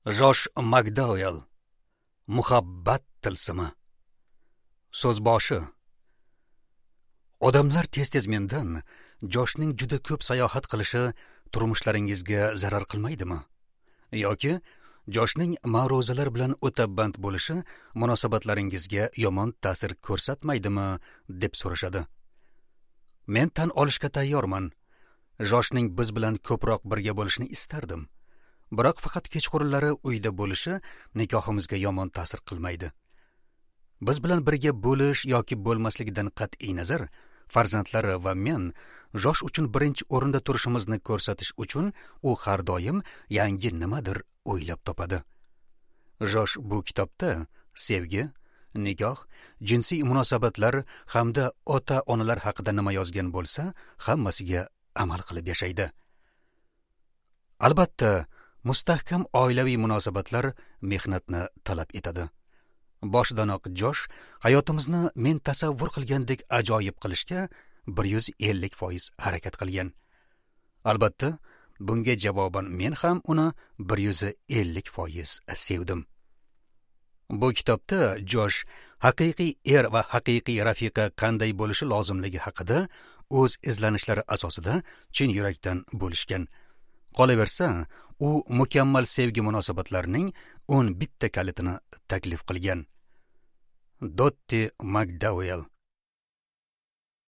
Josh Makdauell. Muhabbat tilsimi. So'zboshi. Odamlar tez-tez mendan Joshning juda ko'p sayohat qilishi turmushlaringizga zarar qilmaydimi? Yoki Joshning ma'ruzalar bilan o'ta band bo'lishi munosabatlaringizga yomon ta'sir ko'rsatmaydimi, deb so'rashadi. Men tan olishga tayyorman. Joshning biz bilan ko'proq birga bo'lishini istardim. Biroq faqat kechqurunlari uyda bo'lishi nikohimizga yomon ta'sir qilmaydi. Biz bilan birga bo'lish yoki bo'lmasligidan qat'iy nazar, farzandlari va men Josh uchun birinchi o'rinda turishimizni ko'rsatish uchun u har doim yangi nimadir o'ylab topadi. Josh bu kitobda sevgi, nikoh, jinsiy munosabatlar hamda ota-onalar haqida nima yozgan bo'lsa, hammasiga amal qilib yashaydi. Albatta, mustahkam oilaviy munosabatlar mehnatni talab etadi. Boshidanoq Josh hayotimizni men tasavvur qilgandek ajoyib qilishga 150% harakat qilgan. Albatta, bunga javoban men ham uni 150% sevdim. Bu kitobda Josh haqiqiy er va haqiqiy rafiqa qanday bo'lishi lozimligi haqida o'z izlanishlari asosida chin yurakdan bo'lishgan. Qolaversa, u mukammal sevgi munosabatlarining 11 ta kalitini taklif qilgan. Dotti Makdauell.